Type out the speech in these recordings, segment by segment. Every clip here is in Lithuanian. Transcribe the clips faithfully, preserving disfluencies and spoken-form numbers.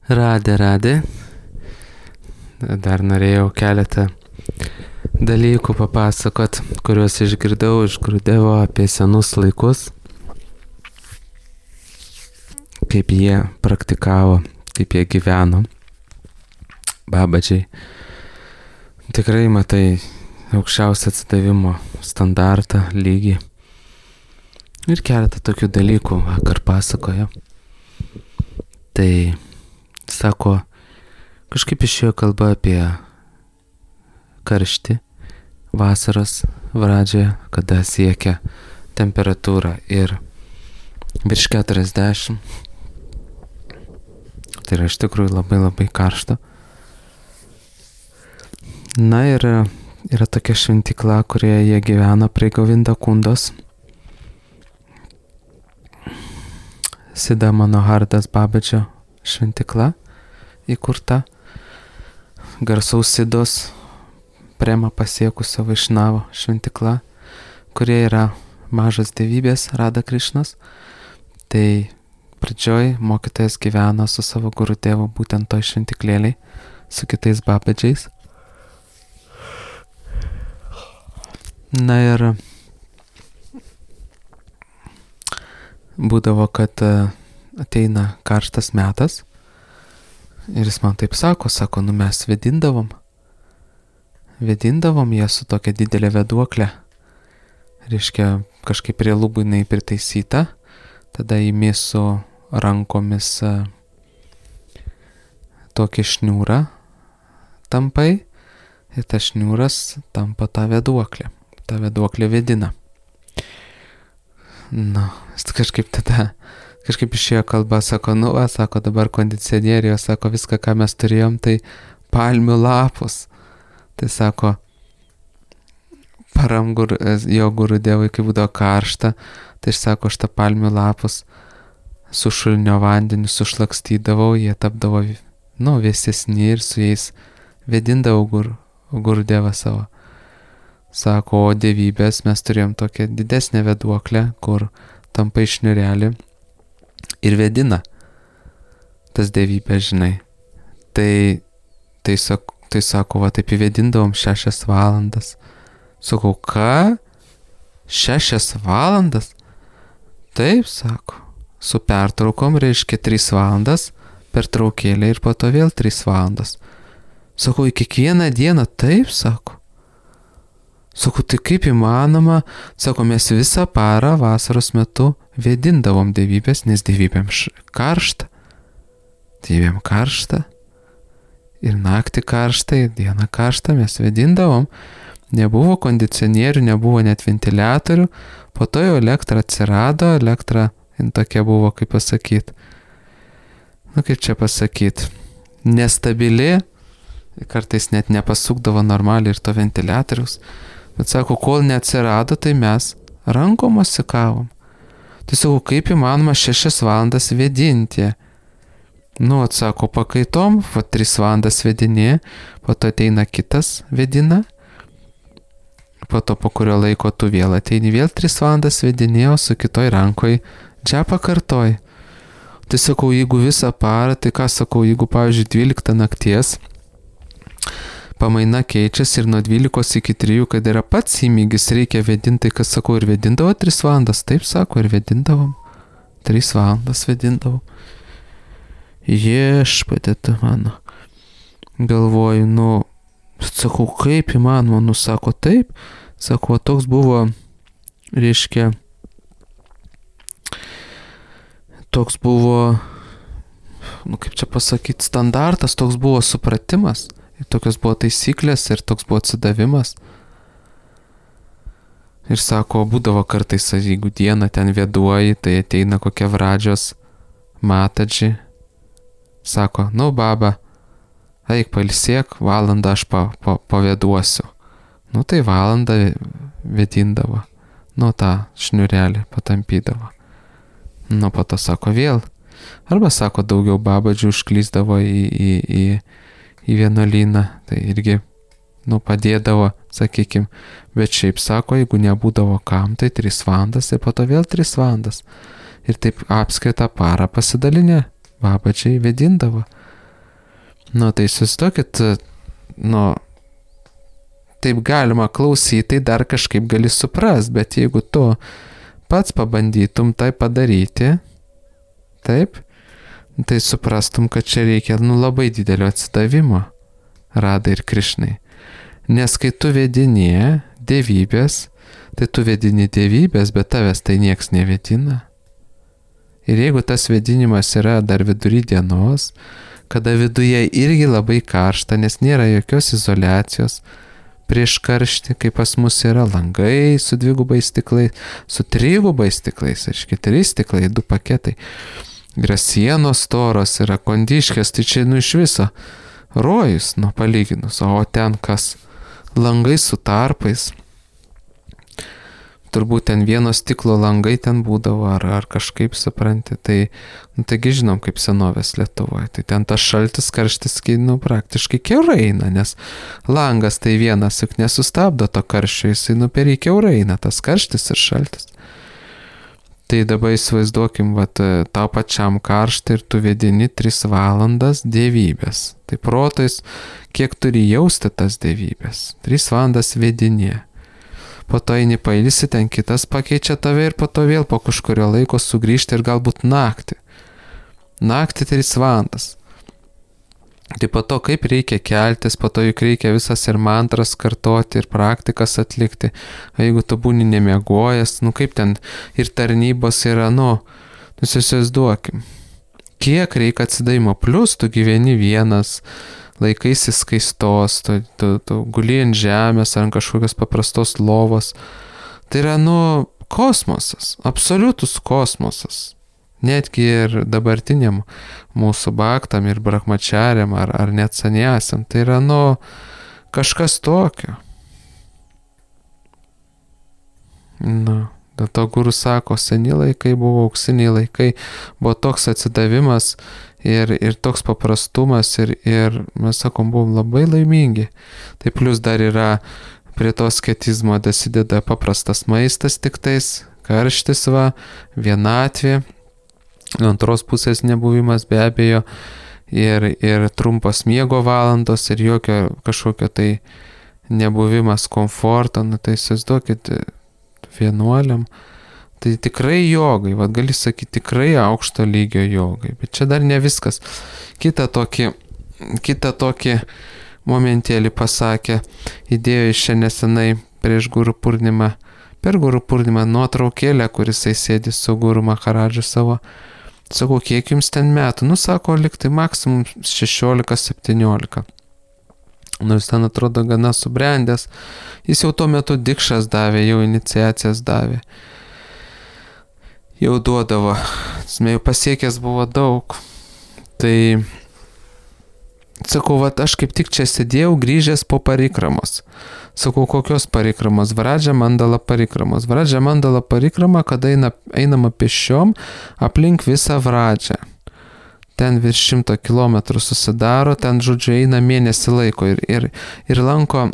Radė, radė. Dar norėjau keletą dalykų papasakot, kuriuos išgirdau iš Gurudevo apie senus laikus, kaip jie praktikavo, kaip jie gyveno. Babadžiai. Tikrai matai aukščiausią atsidavimo standartą, lygį. Ir keletą tokių dalykų vakar pasakojo. Tai sako, kažkaip išėjo kalba apie karštį vasaros pradžioje, kada siekia temperatūra ir virš keturiasdešimt. Tai yra iš tikrųjų labai labai karšta. Na ir yra tokia šventykla, kurioje jie gyvena prie Govinda Kundos. Sida Manohardas Babadžio šventykla įkurta. Garsaus Sidos Prema pasiekusio Vaišnavo šventykla, kurie yra mažas dievybės Rada Krišnos. Tai pradžioj mokytojas gyveno su savo Gurudevu būtent toj šventiklėliai, su kitais Babadžiais. Na ir būdavo, kad ateina karštas metas ir jis man taip sako, sako, nu mes vedindavom. Vedindavom ją su tokia didelė veduoklė. Reiškia, kažkaip prie lubų jinai pritaisyta, tada įmi su rankomis tokį šniūrą tampai ir tas šniūras tampa tą veduoklę. Ta veduoklė vedina. Na, kažkaip tada, kažkaip išėjo kalba, sako, nu, va, sako, dabar kondicionierijo, sako, viską, ką mes turėjom, tai palmių lapus. Tai sako, param gur, jo Gurudevui, kai būdavo karšta, tai aš sako, aš tą palmių lapus su šulinio vandeniu sušlakstydavau, jie tapdavo, nu, vėsesni ir su jais vedindavau gur, Gurudevą savo. Sako, o dievybės mes turėjom tokią didesnę veduoklę, kur tampa šniurelį ir vedina tas dievybės, žinai. Tai, tai, sak, tai sako, va, taip įvedindavom šešias valandas. Sakau, ką? Šešias valandas? Taip, sako, su pertraukom reiškia tris valandas, pertraukėlė ir po to vėl tris valandas. Sakau, į kiekvieną dieną? Taip, sako. Sakau, tai kaip įmanoma, sako, mes visą parą vasaros metu vedindavom dievybės, nes dievybėm karšta. Dievybėm karšta. Ir naktį karšta, ir dieną karšta, mes vedindavom. Nebuvo kondicionierių, nebuvo net ventiliatorių. Po to jau elektra atsirado, elektra tokia buvo, kaip pasakyti. Nu, kaip čia pasakyti. Nestabili, kartais net nepasukdavo normaliai ir to ventiliatoriaus. Bet sako, kol neatsirado, tai mes rankom mosikavom. Tai sako, kaip įmanoma šešias valandas vedinti. Nu, atsako, pakaitom, va tris valandas vedinė, po to ateina kitas vedina, po to po kurio laiko tu vėl ateini, vėl tris valandas vedinė, o su kitoj rankoj džepą kartoj. Tai sakau, jeigu visą parą, tai ką sakau, jeigu, pavyzdžiui, dvyliktą nakties, pamaina keičiasi ir nuo dvylikos iki trijų, kad yra pats įmygis, reikia vedinti, kas sakau, ir vedindavo tris valandas, taip sako, ir vedindavom, tris valandas vedindavom. Viešpatie tu mano, galvoju, nu, sakau, kaip įmanoma, nu, sako, taip, sako, toks buvo, reiškia, toks buvo, nu, kaip čia pasakyti, standartas, toks buvo supratimas. Ir tokios buvo taisyklės ir toks buvo atsidavimas. Ir sako, būdavo kartais, jeigu dieną ten vėduoji, tai ateina kokia Vradžios matadži. Sako, nu baba, eik pailsėk, valandą aš pa, pa, pavėduosiu. Nu tai valandą vedindavo, nu tą šniurelį patampydavo. Nu po to sako vėl. Arba sako, daugiau babadžių užklysdavo į... į, į į vienuolyną, tai irgi, nu, padėdavo, sakykim, bet šiaip sako, jeigu nebūdavo kam, tai tris valandas ir po to vėl tris valandas. Ir taip apskaitą parą pasidalinę, babadžiai vedindavo. Nu, tai įsivaizduokit, nu, taip galima klausyti, tai dar kažkaip gali suprast, bet jeigu tu pats pabandytum tai padaryti, taip, tai suprastum, kad čia reikia, nu, labai didelio atsidavimo Radai ir Krišnai. Nes kai tu vedinė dievybės, tai tu vedini dievybės, bet tavęs tai nieks nevedina. Ir jeigu tas vedinimas yra dar vidury dienos, kada viduje irgi labai karšta, nes nėra jokios izoliacijos, prieš karštį, kai pas mus yra langai su dvigubais stiklais, su trigubais stiklais, aiškiai, trys stiklai, du paketai. Yra sienos storos, yra kondiškės, tai čia nu iš viso rojus, nu palyginus, o ten kas langai su tarpais. Turbūt ten vieno stiklo langai ten būdavo, ar, ar kažkaip supranti, tai, nu, taigi žinom, kaip senovės Lietuvoje, tai ten tas šaltis, karštis, nu, praktiškai kiaurai eina, nes langas tai vienas, juk nesustabdo to karščio, jisai, nu, per jį kiaurai eina, tas karštis ir šaltis. Tai dabar įsivaizduokim, vat, tau pačiam karštą ir tu vedini tris valandas dievybės. Tai protais, kiek turi jausti tas dievybės. tris valandas vedinė. Po to eini pailsi, ten kitas pakeičia tave ir po to vėl po kažkurio laiko sugrįžti ir galbūt naktį. Naktį tris valandas. Tai po to kaip reikia keltis, po to juk reikia visas ir mantras kartoti, ir praktikas atlikti. O jeigu tu būni nemiegojęs, nu kaip ten ir tarnybos yra, nu, nusivaizduokim. Kiek reikia atsidavimo, plus tu gyveni vienas, laikaisi skaistos, tu, tu, tu guli ant žemės ar ant kažkokios paprastos lovos. Tai yra, nu, kosmosas, absoliutus kosmosas. Netgi ir dabartiniam mūsų bhaktam ir brahmačariam ar, ar net saniasiam. Tai yra, nu, kažkas tokio. Nu, dėl to guru sako, seni laikai buvo auksiniai laikai, buvo toks atsidavimas ir, ir toks paprastumas ir, ir mes sakom, buvom labai laimingi. Tai plus dar yra prie to asketizmo dasideda paprastas maistas tiktais, karštis va, vienatvė. Antros pusės nebuvimas be abejo ir, ir trumpos miego valandos ir jokio kažkokio tai nebuvimas komforto, nu tai įsivaizduokit vienuoliam, tai tikrai jogai, vad gali sakyti tikrai aukšto lygio jogai, bet čia dar ne viskas. Kita tokį, kita tokį momentėlį pasakė, įdėjo iš čia nesenai prieš Guru Purnimą, per Guru Purnimą nuotraukėlę, kuris sėdi su Guru Maharadžu savo. Sakau, kiek jums ten metų? Nu, sako, liktai maksimum šešiolika septyniolika. Nors ten atrodo gana subrendęs. Jis jau tuo metu dikšas davė, jau iniciacijas davė. Jau duodavo. Jau pasiekęs buvo daug. Tai, sakau, vat aš kaip tik čia sėdėjau grįžęs po parikramos. Sakau, kokios parikramos? Vradžia mandala parikramos. Vradžia mandala parikrama, kada eina, einama pešiom aplink visą Vradžią. Ten virš šimto kilometrų susidaro, ten, žodžiu, eina mėnesį laiko ir, ir, ir lanko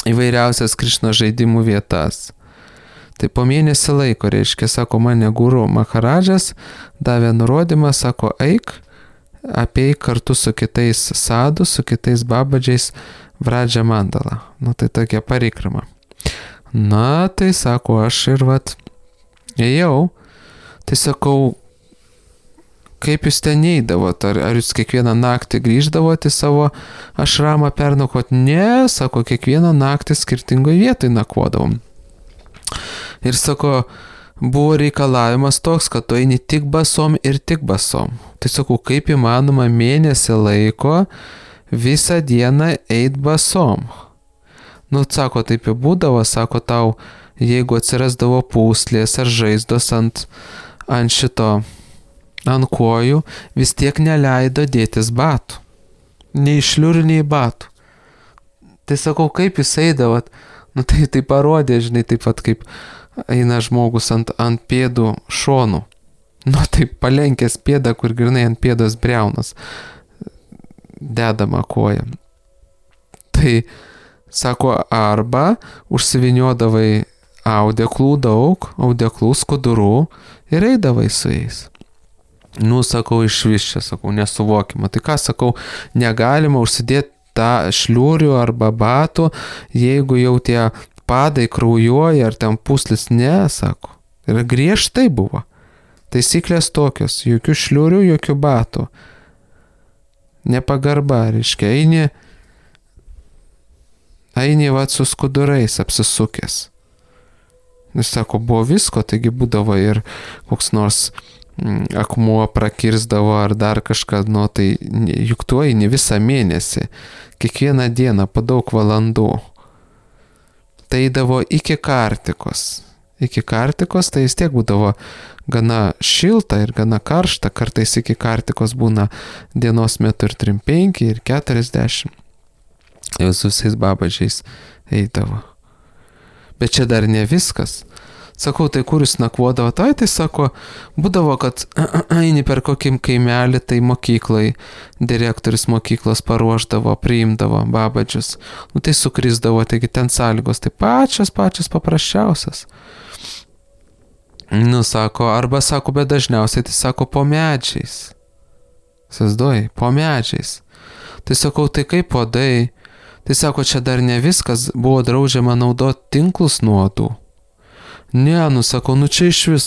įvairiausias Krišnos žaidimų vietas. Tai po mėnesį laiko, reiškia, sako, mane Guru Maharadžas davė nurodymą, sako, eik, apeik kartu su kitais sadhu, su kitais babadžiais Vradžia mandala. Nu, tai tokia parikrama. Na, tai sako, aš ir vat, ėjau, tai sakau, kaip jūs ten neįdavot, ar, ar jūs kiekvieną naktį grįždavot į savo ašramą pernakvot? Ne, sako, kiekvieną naktį skirtingoje vietoje nakvodavom. Ir sako, buvo reikalavimas toks, kad tu eini tik basom ir tik basom. Tai sakau, kaip įmanoma mėnesį laiko visą dieną eit basom. Nu, sako, taip jau būdavo, sako, tau, jeigu atsirasdavo pūslės ar žaizdos ant, ant šito, ant kojų, vis tiek neleido dėtis batų. Nei šliurių, nei batų. Tai sakau, kaip jūs eidavot? Nu, tai, tai parodė, žinai, taip pat kaip eina žmogus ant, ant pėdų šonų. Nu, taip palenkęs pėdą, kur grinai ant pėdos briaunas dedama koja. Tai, sako, arba užsiviniodavai audeklų daug, audeklų skudurų ir eidavai su jais. Nu, sakau, iš vis čia, sakau, nesuvokima. Tai ką, sakau, negalima užsidėti tą šliurių arba batų, jeigu jau tie padai kraujuoja ar ten puslis, ne, sako. Ir griežtai buvo. Taisyklės tokios, jokių šliurių, jokių batų. Nepagarba, reiškia, eini, eini vat su skudurais apsisukęs. Jis sako, buvo visko, taigi būdavo ir koks nors mm, akmuo prakirsdavo ar dar kažką, nu tai juk tu eini visą mėnesį, kiekvieną dieną po daug valandų. Tai eidavo iki kartikos. Iki kartikos tai vis tiek būdavo gana šilta ir gana karšta, kartais iki kartikos būna dienos metu ir trim penki, ir keturiasdešimt. Jau su visais babadžiais eidavo. Bet čia dar ne viskas. Sakau, tai kur jūs nakvodavo? Tai, tai sako, būdavo, kad eini per kokį kaimelį, tai mokyklai, direktorius mokyklos paruošdavo, priimdavo babadžius. Nu tai sukrisdavo, taigi ten sąlygos, tai pačios, pačios paprasčiausias. Nu, sako, arba sako, bet dažniausiai tai sako po medžiais. Sazduoji, po medžiais. Tai sakau, tai kaip podai? Tai sako, čia dar ne viskas, buvo draudžiama naudoti tinklus nuodų. Ne, nu sakau, nu čia iš vis.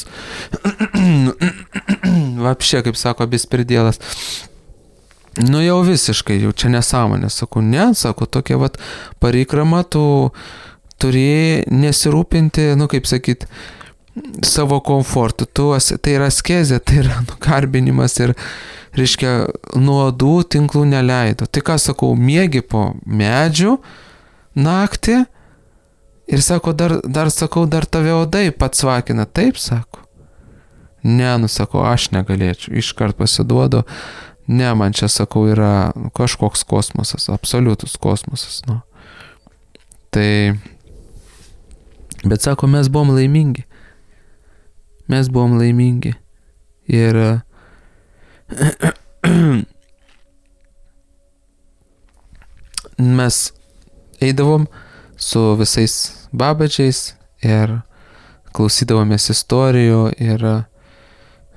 Vapšė, kaip sako, bispirdėlas. Nu jau visiškai, jau čia nesąmonė. Sakau, ne, sako, tokia vat parikrama, tu turi nesirūpinti, nu kaip sakyt, savo komfortu. Tu, tai yra askezė, tai yra nukarbinimas ir, reiškia, nuodų tinklų neleido. Tai ką sakau, miegi po medžių naktį ir sako, dar, dar sakau, dar tave odai pats vakina. Taip, sako. Ne, nu sakau, aš negalėčiau. Iškart pasiduodu. Ne, man čia, sakau, yra kažkoks kosmosas, absoliutus kosmosas. Nu. Tai, bet sako, mes buvom laimingi. Mes buvom laimingi. Ir mes eidavom su visais babadžiais ir klausydavomės istorijų ir,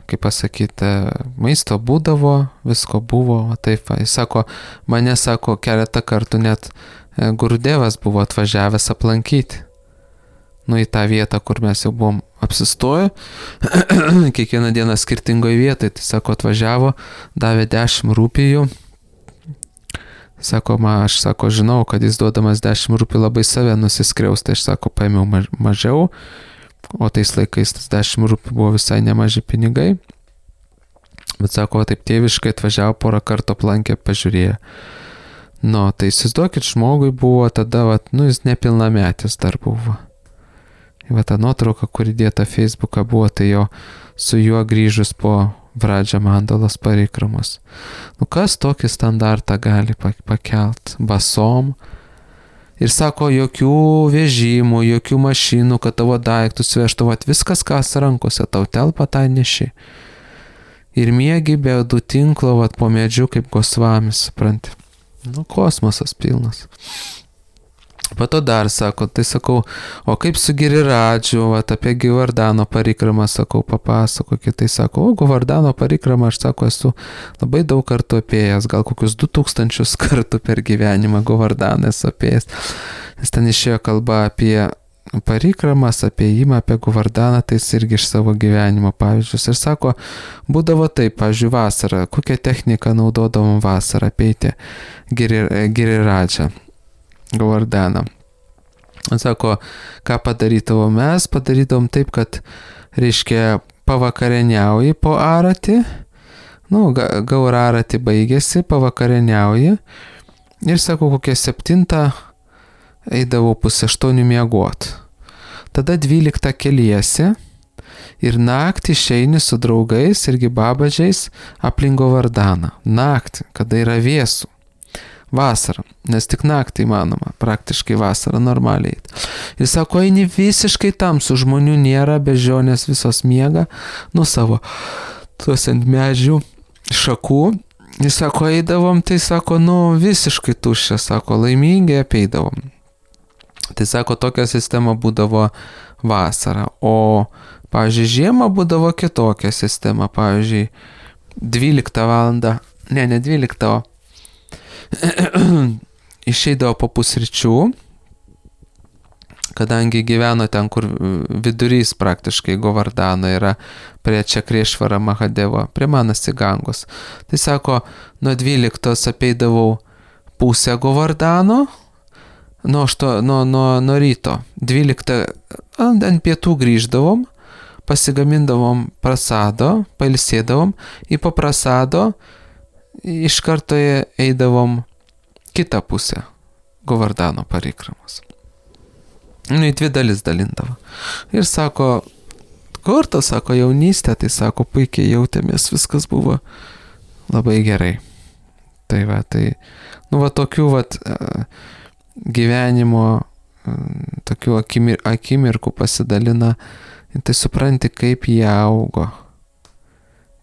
kaip pasakyti, maisto būdavo, visko buvo, taip, jis sako, mane, sako, keletą kartų net Gurudevas buvo atvažiavęs aplankyti. Nu, į tą vietą, kur mes jau buvom apsistoję, kiekvieną dieną skirtingoje vietoje, tai sako, atvažiavo, davė dešimt rupijų. Sako, ma, aš sako, žinau, kad jis duodamas dešimt rupijų labai save nusiskriaus, tai aš sako, paėmiau maž, mažiau, o tais laikais tas dešimt rupijų buvo visai nemaži pinigai. Bet sako, taip tėviškai atvažiavo, porą kartų aplankė, pažiūrėjo. Nu, tai įsivaizduokit, žmogui buvo tada, vat, nu, jis nepilnametis dar buvo. Va ta nuotrauka, kuri dėta Facebooką buvo, tai jo su juo grįžus po Vradža Mandalos parikramos. Nu kas tokį standartą gali pakelt basom? Ir sako, jokių vežimų, jokių mašinų, kad tavo daiktus vežtų, vat viskas, kas rankose, tau telpa tai neši. Ir miegi be du tinklo, vat po medžiu kaip Gosvamis, supranti. Nu, kosmosas pilnas. Po to dar sako, tai sakau, o kaip su Giriradžiu, vat apie Govardhano parikramą, sakau, papasakokit, tai sako, o Govardhano parikramą, aš sako, esu labai daug kartų apėjęs, gal kokius du tūkstančius kartų per gyvenimą Govardhaną esu apėjęs, nes ten išėjo kalba apie parikramas, apie įmą, apie Govardhaną, tai jis irgi iš savo gyvenimo pavyzdžius. Ir sako, būdavo taip, pavyzdžiui, vasarą, kokią techniką naudodavom vasarą apeiti Giriradžią. Govardhaną. Sako, ką padarydavom mes, padarydavom taip, kad, reiškia, pavakarieniauji po aratį, nu, gaur aratį baigėsi, pavakarieniauji ir, sako, kokią septintą eidavau pusę aštuonių miegot. Tada dvyliktą keliesi ir naktį išeini su draugais irgi babadžiais aplink Govardhaną. Naktį, kada yra vėsų. Vasarą, nes tik naktį įmanoma, praktiškai vasarą normaliai. Ir sako, eini visiškai tamsu, žmonių nėra, bežionės visos miega, nu savo, tuos ant medžių šakų. Jis sako, eidavom, tai sako, nu visiškai tuščia, sako, laimingai apeidavom. Tai sako, tokia sistema būdavo vasarą, o, pavyzdžiui, žiemą būdavo kitokia sistema, pavyzdžiui, dvyliktą valandą, ne, ne dvyliktą, išeidavo po pusryčių, kadangi gyveno ten, kur vidurys praktiškai Govardano yra prie Čakriešvara Mahadevo, prie Manasi Gangos. Tai sako, nuo dvyliktos apeidavau pusę Govardano, nuo, ašto, nuo, nuo, nuo ryto. dvyliktą ant pietų grįždavom, pasigamindavom prasado, pailsėdavom, į po prasado iš karto eidavom kitą pusę Govardano parikramos. Nu, į dvi dalis dalindavo. Ir sako, kur to, sako, jaunystė, tai sako, puikiai jautėmės, viskas buvo labai gerai. Tai va, tai, nu, va, tokių, va, gyvenimo, tokių akimir, akimirkų pasidalina, tai supranti, kaip jie augo.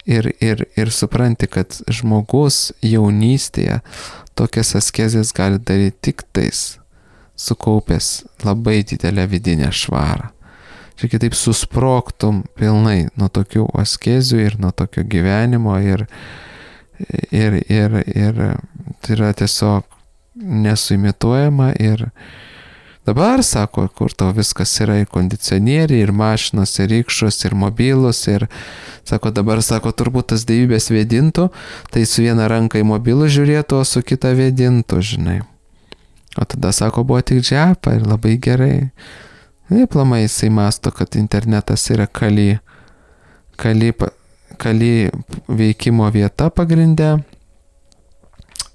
Ir, ir, ir supranti, kad žmogus jaunystėje tokias askezės gali daryti tik tais, sukaupęs labai didelę vidinę švarą. Čia kitaip susprogtum pilnai nuo tokių askezių ir nuo tokio gyvenimo ir, ir, ir, ir tai yra tiesiog nesuimituojama ir dabar, sako, kur tau viskas yra ir kondicionieriai, ir mašinos, ir rykščios, ir mobilus, ir sako, dabar, sako, turbūt tas dievybės vėdintų, tai su viena ranka į mobilų žiūrėtų, o su kita vėdintų, žinai. O tada, sako, buvo tik džiapa ir labai gerai. Ir plamai jisai masto, kad internetas yra kali, kali, kali veikimo vieta pagrinde.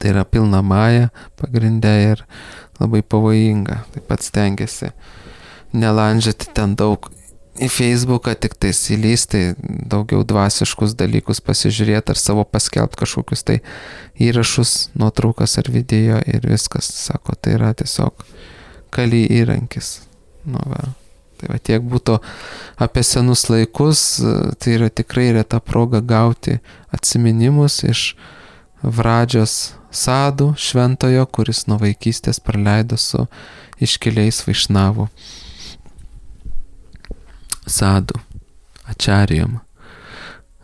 Tai yra pilna maja pagrinde ir labai pavojinga. Taip pat stengiasi nelandžiati ten daug į Facebooką, tik tais įlysti, daugiau dvasiškus dalykus pasižiūrėti ar savo paskelbti kažkokius tai įrašus, nuotraukas ar video ir viskas. Sako, tai yra tiesiog kali įrankis. Nu, va. Tai va, tiek būtų apie senus laikus, tai yra tikrai reta proga gauti atsiminimus iš Vradžios sadų šventojo, kuris nuo vaikystės praleido su iškiliais vaišnavų sadų, ačarijom.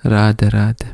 Radė, radė.